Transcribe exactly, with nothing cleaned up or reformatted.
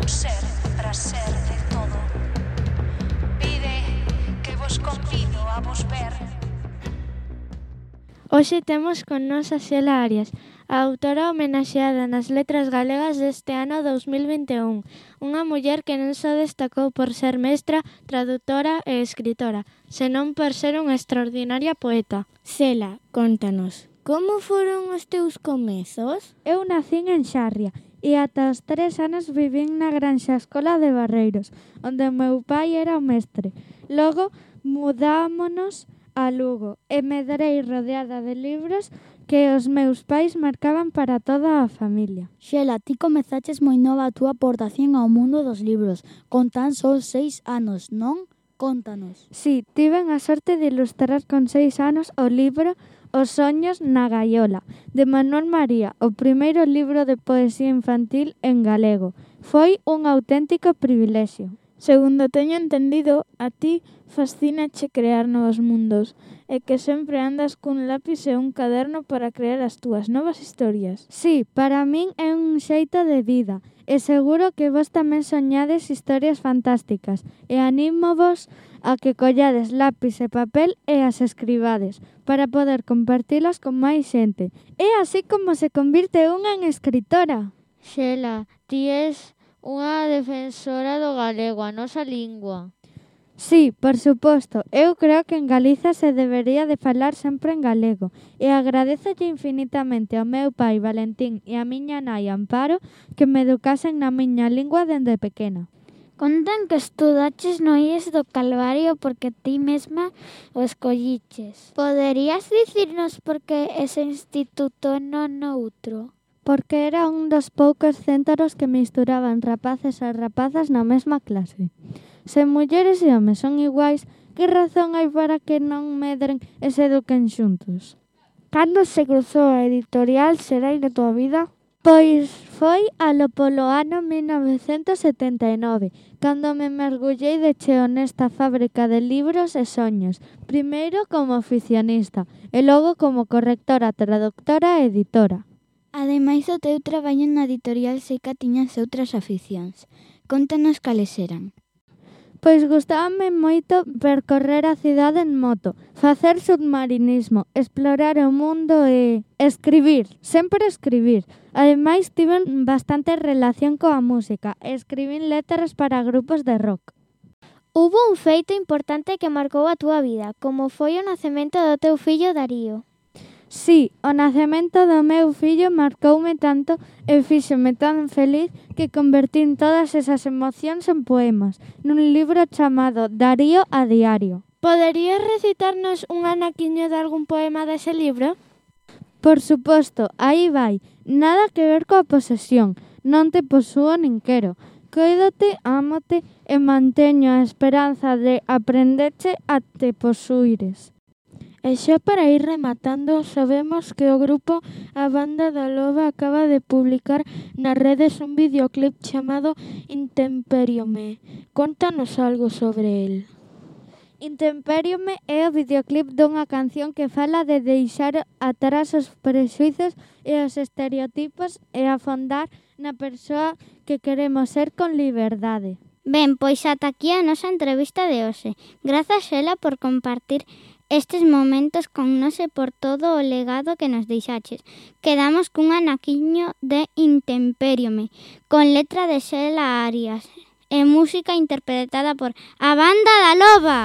un ser para ser de todo. Pide que vos convido a vos ver. Hoxe temos con nos a Xela Arias, a autora homenaxeada nas letras galegas deste ano dous mil vinte e un, unha muller que non só destacou por ser mestra, traductora e escritora, senón por ser unha extraordinaria poeta. Xela, contanos, como foron os teus comezos? Eu nacín en Xarria e ata os tres anos vivín na Granxa Escola de Barreiros, onde o meu pai era o mestre. Logo mudámonos a Lugo e medrei rodeada de libros que os meus pais marcaban para toda a familia. Xela, ti comezaches moi nova a túa aportación ao mundo dos libros, con tan só seis anos, non? Contanos. Si, tiven a sorte de ilustrar con seis anos o libro Os soños na gaiola, de Manuel María, o primeiro libro de poesía infantil en galego. Foi un auténtico privilexio. Segundo teño entendido, a ti fascínache crear novos mundos e que sempre andas cun lápis e un caderno para crear as túas novas historias. Sí, para min é un xeito de vida e seguro que vos tamén soñades historias fantásticas e anímovos a que collades lápis e papel e as escribades para poder compartilas con máis xente. É así como se convirte unha en escritora. Xela, ti és unha defensora do galego, a nosa lingua. Sí, por suposto. Eu creo que en Galiza se debería de falar sempre en galego e agradézolle infinitamente ao meu pai Valentín e a miña nai Amparo que me educasen na miña lingua dende pequena. Contan que estudaches no I E S do Calvario porque ti mesma o escolliches. Poderías dicirnos por que ese instituto e non outro? Porque era un dos poucos céntaros que misturaban rapaces e rapazas na mesma clase. Se mulleres e homes son iguais, que razón hai para que non medren e se eduquen xuntos? Cando se cruzou a editorial Xerai na túa vida? Pois foi alo polo ano mil novecentos setenta e nove, cando me mergullei de cheo nesta fábrica de libros e soños, primeiro como oficionista e logo como correctora, traductora e editora. Ademais do teu traballo na editorial sei que tiñas outras aficións. Contanos cales eran. Pois gustábame moito percorrer a cidade en moto, facer submarinismo, explorar o mundo e escribir, sempre escribir. Ademais tiven bastante relación coa música e escribín letras para grupos de rock. Hubo un feito importante que marcou a túa vida, como foi o nacemento do teu fillo Darío. Sí, o nacemento do meu fillo marcoume tanto e fíxome tan feliz que convertín todas esas emocións en poemas, nun libro chamado Darío a diario. Poderías recitarnos un anaquiño de algún poema dese libro? Por suposto, aí vai. Nada que ver coa posesión, non te posúo nin quero. Coídote, ámote e manteño a esperanza de aprenderche a te posuires. E xa para ir rematando, sabemos que o grupo A Banda da Loba acaba de publicar nas redes un videoclip chamado Intempériome. Contanos algo sobre el. Intempériome é o videoclip dunha canción que fala de deixar atrás os prexuizos e os estereotipos e afondar na persoa que queremos ser con liberdade. Ben, pois ata aquí a nosa entrevista de hoxe. Grazas, Xela, por compartir estes momentos con nos e por todo o legado que nos deixaches. Quedamos cun anaquiño de Intempériome, con letra de Xela Arias e música interpretada por A Banda da Loba.